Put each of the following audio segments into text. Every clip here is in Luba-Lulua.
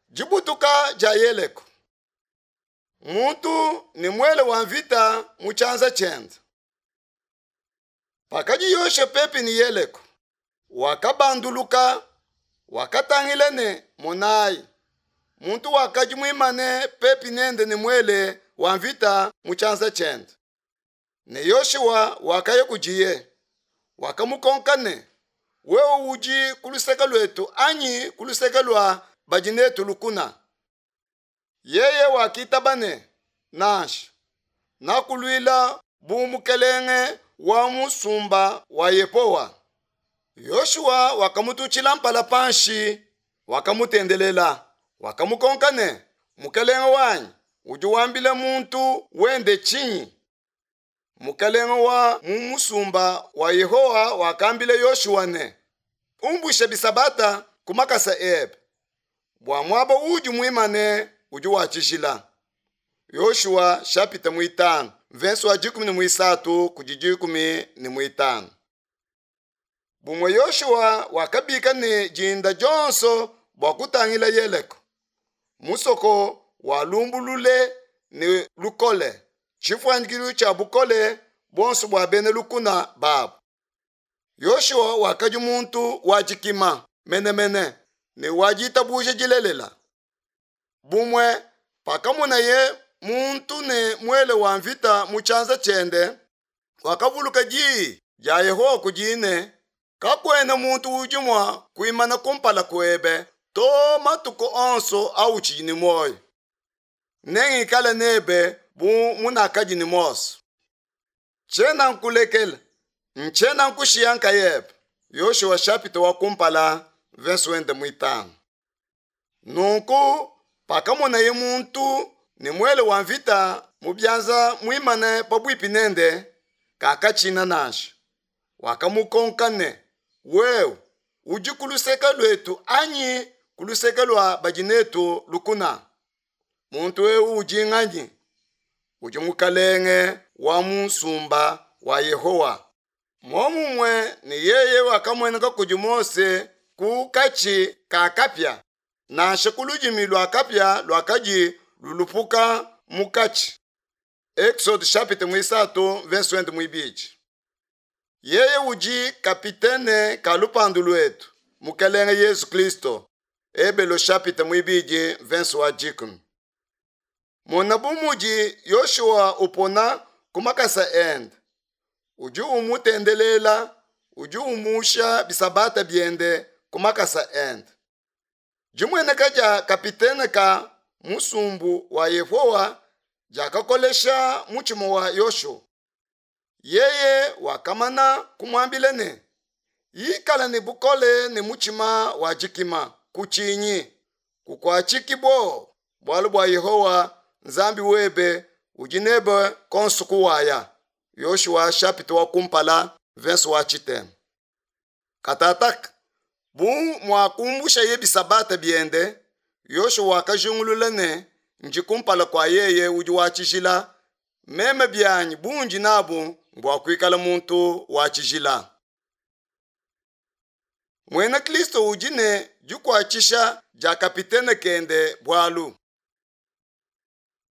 Dibutuka dia Yeleko. Muntu ne muele wa mvita mu tshianza tshiende. Pakadi Yoshua pepi ne Yeleko, wakabanduluka, wakatangila ne, monayi, muntu wakadi muimane pepi nende ne muele wa mvita mu tshianza tshiende. Ne Yoshua wakaya kudiye, wakamukonka ne, Wewe udi ku luseke luetu anyi ku luseke lua badi netu lukuna? Yeye wakitaba ne, Nansha, nakuluila bu mukelenge wa musumba wa Yehowa. Yoshua wakamututshila mpala panshi, wakamutendelela, wakamukonka ne, Mukelenge wanyi udi wambila muntu wende tshinyi? Mukelenge wa mu musumba wa Yehowa wakambila Yoshua ne, Umbusha bisabata ku makasa ebe, bua muaba uudi muimane udi wa tshijila. Yoshua shapita muitanu mvensi wa 13 kudi 15. Bumue Yoshua wakabika ne dinda dionso bua kutangila Yeleko, musoko wa lumbu lule ne lukole, tshifuanyikilu tshia bukole buonso bua bena lukuna babu. Yoshua wakadi muntu wa dikima menemene ne wa ditabuja dilelela. Bumue pakamonaye muntu ne muele wa mvita mu tshianza tshiende, wakavuluka diyi dia Yehowa kudiye ne, Kakuena muntu udi mua kuimana kumpala kuebe to matuku onso autshidi ne muoyo. Nengikale nebe bu munakadi ne Mose. Tshiena nkulekela, ntshiena nkushiya nkayebe. Yoshua shapita wa kumpala mvese wende muitanu. Nunku pakamonaye muntu ne muele wa mvita mu bianza muimane pabuipi nende, kakatshina nansha. Wakamukonka ne, Wewe udi ku luseke luetu anyi ku luseke lua badi netu lukuna? Muntu eu udi nganyi? Udi mukalenge wa musumba wa Yehowa. Muomumue ne yeye wakamueneka kudi Mose ku katshi ka kapia, nansha ku ludimi lua kapia luakadi lulupuka mu katshi. Exode chapitre muisatu verse wende muibidi. Yeye udi kapitene ka lupandu luetu, Mukelenge Yesu Kristo. Ebelo chapitre muibidi verse wa dikumi. Mona bu mudi Yoshua upona ku makasa ende, udi umutendelela, udi umusha bisabata biende ku makasa ende. Dimueneka dia kapitene ka musumbu wa Yehowa diakakolesha mutshima wa Yoshua. Yeye wakamana kumuambila ne, Ikala ne bukole ne mutshima wa dikima, kutshinyi, kukuatshiki buowa, bualu bua Yehowa Nzambi webe udi nebe konso kuwaya. Yoshua chapitre wa kumpala verse wa tshitema. Katataka, bu muakumbushaye bisabata biende, Yoshua wakajingulula ne, ndi kumpala kua yeye udi wa tshijila, meme bianyi bundi nabu mbua kuikala muntu wa tshijila. Muena Kristo udi ne dikuatshisha dia kapitene kende bualu.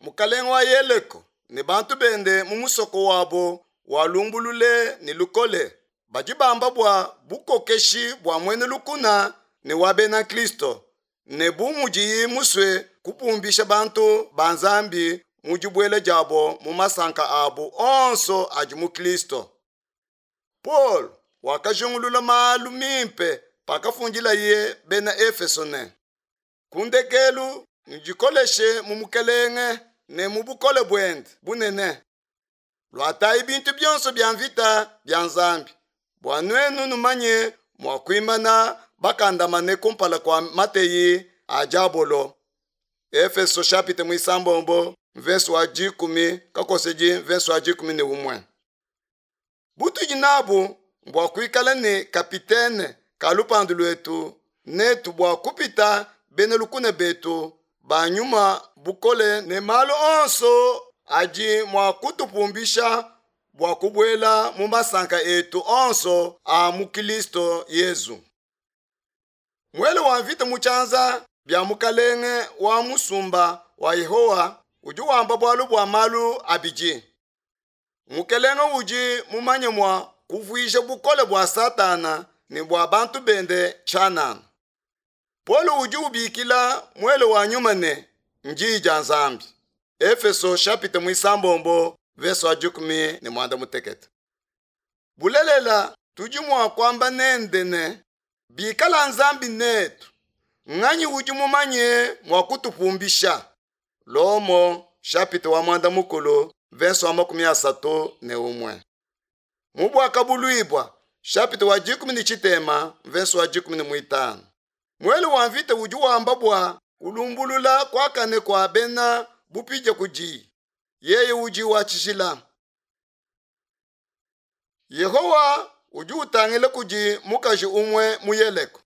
Mukalenge wa Yeleko ne bantu bende mu musoko wabo wa lumbu lule ne lukole badi bamba bua bukokeshi bua muena lukuna ne wa bena Kristo ne bu mudiyi musue kupumbisha bantu ba Nzambi mu dibuela diabo mu masanka abu onso adi mu Kristo. Paulo wakajingulula malu mimpe pakafundilaye bena Efeso ne, Ku ndekelu nudikoleshe mu Mukelenge ne mu bukole buende bunene. Luatayi bintu bionso bia mvita bia Nzambi, bua nuenu numanye mua kuimana bakandamane kumpala kua mateyi a diabolo. Efeso chapitre muisambombo mvese wa dikumi kakosedi mvese wa 11. Butudi nabu mbua kuikala ne kapitene ka lupandu luetu netu bua kupita bena lukuna betu ba nyuma bukole ne malu onso adi mua kutupumbisha bua kubuela mu masanka etu onso a mu Kristo Yezu. Muele wa mvita mu tshianza. bia Mukalenge wa musumba wa Yehowa udi wamba bualu bua malu abidi. Mukelenge udi mumanye mua kuvuija bukole bua Satana ne bua bantu bende tshianana. Paulo udi ubikila muele wa nyuma ne, Ndiyi dia Nzambi. Efeso chapitre muisambombo verse wa 18. Bulelela tudi mua kuamba nende ne, bikala Nzambi netu, nganyi udi mumanye mua kutupumbisha? Lomo chapitre wa mwanda mukulu verse wa 31. Mu Buakabuluibua chapitre wa 13 verse wa 15. Muele wa mvita udi wamba bua kulumbulula kuakane kua bena bupidia kudi yeye udi wa tshijila. Yehowa udi utangila kudi mukaji umue mu Yeleko.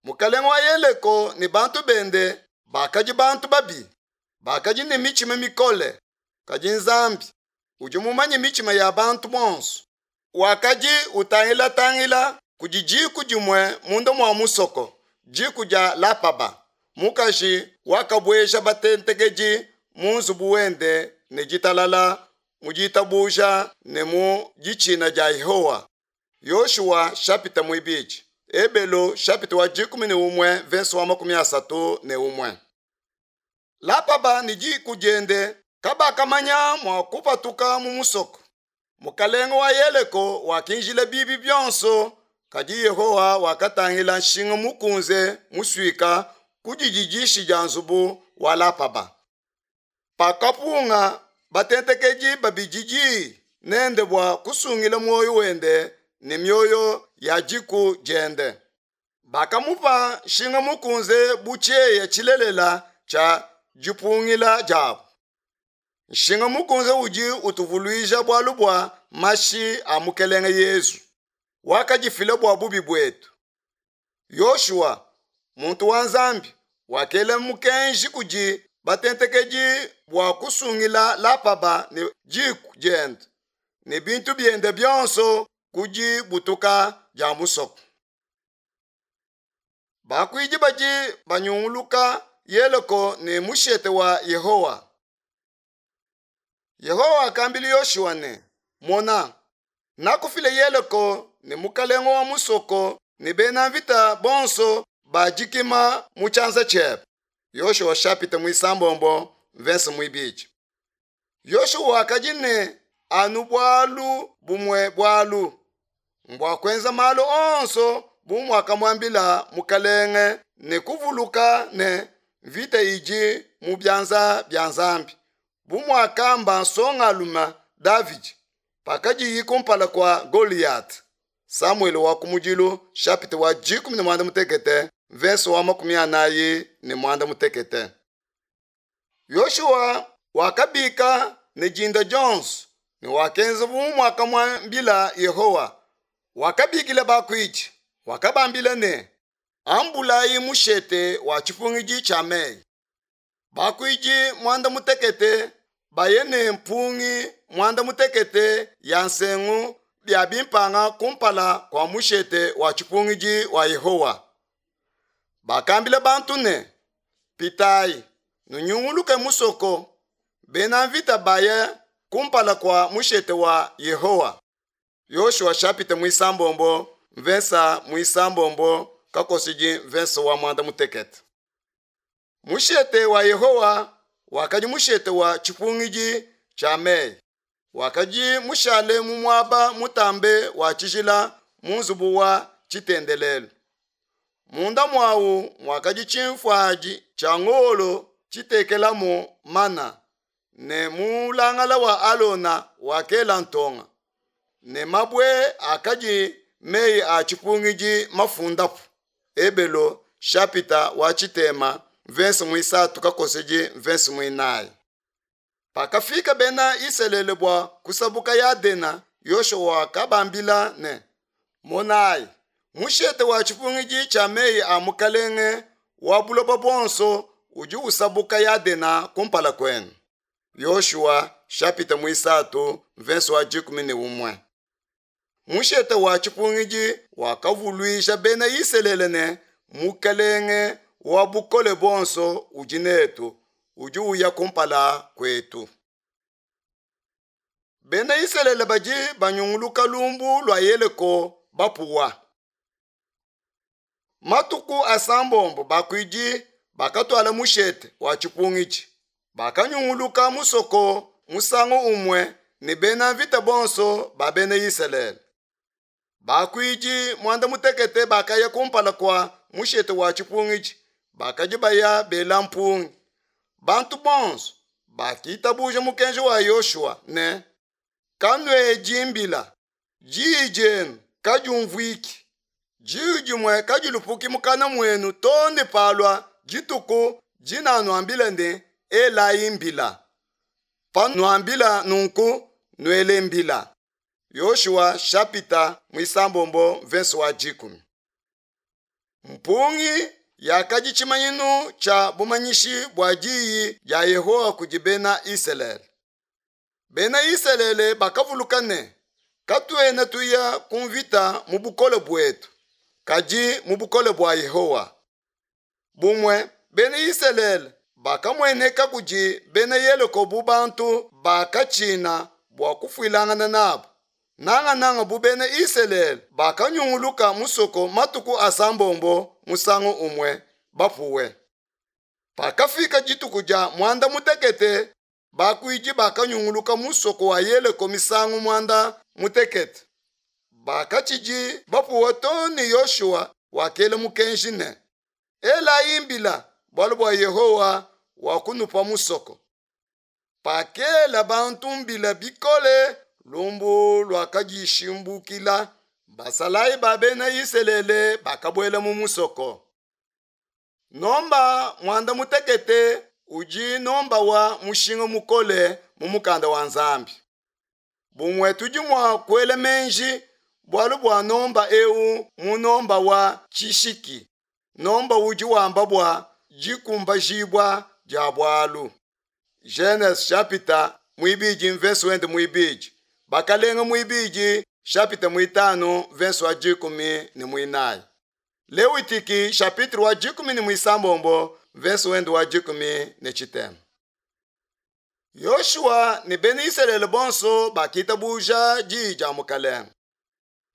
Mukalenge wa Yeleko ne bantu bende bakadi bantu babi, bakadi ne mitshima mikole, kadi Nzambi udi mumanye mitshima ya bantu bonso wakadi utangila-tangila kudi diku dimue munda mua musoko, diku dia Lapaba, mukaji wakabueja batentekedi mu nzubu wende ne ditalala mu ditabuja ne mu ditshina dia Yehowa. Yoshua chapitre muibidi, Ebelo chapitre wa 11 verse wa 31. Lapaba ne diku diende kabakamanya mua kupatuka mu musoko. Mukalenge wa Yeleko wakinjila bibi bionso, kadi Yehowa wakatangila nshinga mukunze musuika ku dididishi dia nzubu wa Lapaba. Pakapunga batentekedi babidi diyi nende bua kusungila muoyo wende ne mioyo ya diku diende. Bakamupa nshinga mukunze bu tshieya tshilelela tshia dipungila diabu. Nshinga mukunze udi utuvuluija bualu bua mashi a Mukelenge Yezu wakadifila bua bubi buetu. Yoshua, muntu wa Nzambi, wakela mukenji kudi batentekedi bua kusungila Lapaba ne diku diende ne bintu biende bionso ku dibutuka dia musoko. Bakuidi badi banyunguluka Yeleko ne mushete wa Yehowa. Yehowa wakambila Yoshua ne, Mona, nakufile Yeleko ne mukalenge wa musoko ne bena mvita bonso ba dikima mu tshianza tshiebe. Yoshua chapitre muisambombo verse muibidi. Yoshua wakadi ne anu bualu bumue bualu mbua kuenza malu onso bu muakamuambila mukalenge ne kuvuluka ne mvita idi mu bianza bia Nzambi, bu muakamba nsongalume Davidi pakadiyi kumpala kua Goliath. Samuele wa kumudilu chapitre wa 18 verse wa 48. Yoshua wakabika ne dinda dionso ne wakenza bu muakamuambila Yehowa. Wakabikila bakuidi, wakabambila ne, ambulayi mushete wa tshipungidi tshia meyi. Bakuidi mwanda mutekete baye ne mpungi mwanda mutekete ya nsengu bia bimpanga kumpala kua mushete wa tshipungidi wa Yehowa. Bakambila bantu ne, pitayi nunyunguluke musoko, bena mvita baye kumpala kua mushete wa Yehowa. Yoshua chapitre muisambombo mvensa muisambombo kakosidi mvensa wa mwanda mutekete. Mushete wa Yehowa wakadi mushete wa tshipungidi tshia meyi, wakadi mushale mu muaba mutambe wa tshijila mu nzubu wa tshitendelelu. Munda muawu muakadi tshimfuadi tshia ngolo tshitekelamu mana, ne mulangala wa Alona wakela ntonga, ne mabue akadi meyi a tshipungidi mafundapu. Ebelo chapitre wa tshitema verse muisatu kakosedi verse muinayi. Pakafika bena Isalele bua kusabuka Yadena, Yoshua wakabambila ne, monayi, mushete wa tshipungidi tshia meyi a mukalenge wa buloba buonso udi usabuka Yadena kumpala kuenu. Yoshua chapitre muisatu verse wa 11. Mushete wa tshipungidi wakavuluija bena Isalele ne Mukelenge wa Bukole Buonso udi netu, udi uya kumpala kuetu. Bena Isalele badi banyunguluka lumbu lua Yeleko bapuwa. Matuku asambombo bakuidi bakatuala mushete wa tshipungidi, bakanyunguluka musoko musangu umue ne bena mvita bonso ba bena Isalele. Bakuidi muanda mutekete bakaya kumpala kua mushete wa tshipungidi, bakadi baya bela mpungi. Bantu bonso bakitabuja mukenji wa Yoshua ne, Kanuedi mbila, diyi dienu kadiumvuiki, diyi dimue kadilupuki mukana muenu too ne palua dituku dinanuambila ne, Elayi mbila. Panuambila nunku, nuele mbila. Yoshua shapita muisambombo mvese wa dikumi. Mpungi yakadi tshimanyinu tshia bumanyishi bua diyi dia Yehowa kudi bena Isalele. Bena Isalele bakavuluka ne, katuena tuya ku mvita mu bukole buetu, kadi mu bukole bua Yehowa. Bumue bena Isalele bakamueneka kudi bena Yeleko bu bantu bakatshina bua kufuilangana nabu, nangananga bu bena Isalele bakanyunguluka musoko matuku asambombo musangu umue bapuwe. Pakafika dituku dia muanda mutekete, bakuidi bakanyunguluka musoko wa Yeleko misangu muanda mutekete. Bakatshidi bapuwa too ne Yoshua wakela mukenji ne, Elayi mbila, bualu bua Yehowa wakunupa musoko. Pakela bantu mbila bikole, lumbu luakadishimbukila, basalayi ba bena Isalele bakabuela mu musoko. Nomba muanda mutekete udi nomba wa mushinga mukole mu mukanda wa Nzambi. Bumue tudi mua kuela meji bualu bua nomba eu mu nomba wa tshishiki, nomba udi wamba bua dikumbajibua dia bualu. Genese shapita muibidi mvese wende muibidi, Bakalenge muibidi shapita muitanu mvese wa dikumi ne muinayi, Lewitiki shapitire wa dikumi ne muisambombo mvese wende wa dikumi ne tshitema. Yoshua ne bena Isalele bonso bakitabuja diyi dia Mukalenge.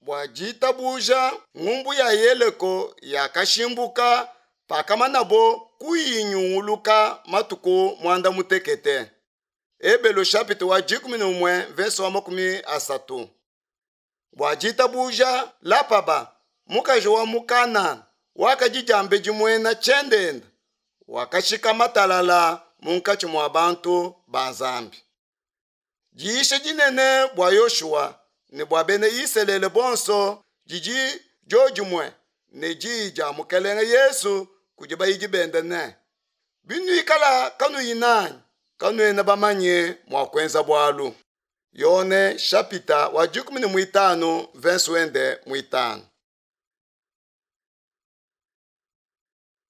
Bua ditabuja, ngumbu ya Yeleko yakashimbuka pakamanabo kuyinyunguluka matuku muanda mutekete. Ebelu shapita wa 11 verse wa 30. Bua ditabuja, Lapaba, mukaji wa mu Kanana, wakadi diambedi muena tshiendenda, wakashikama talala munkatshi mua bantu ba Nzambi. Diyisha dinene bua Yoshua ne bua bena Isalele bonso didi diodimue ne diyi dia Mukelenge Yesu kudi bayidi bende ne, Binuikala kanuyi nanyi, kanuena bamanye mua kuenza bualu. Yone shapita wa dikumi ne muitanu mvese wende muitanu.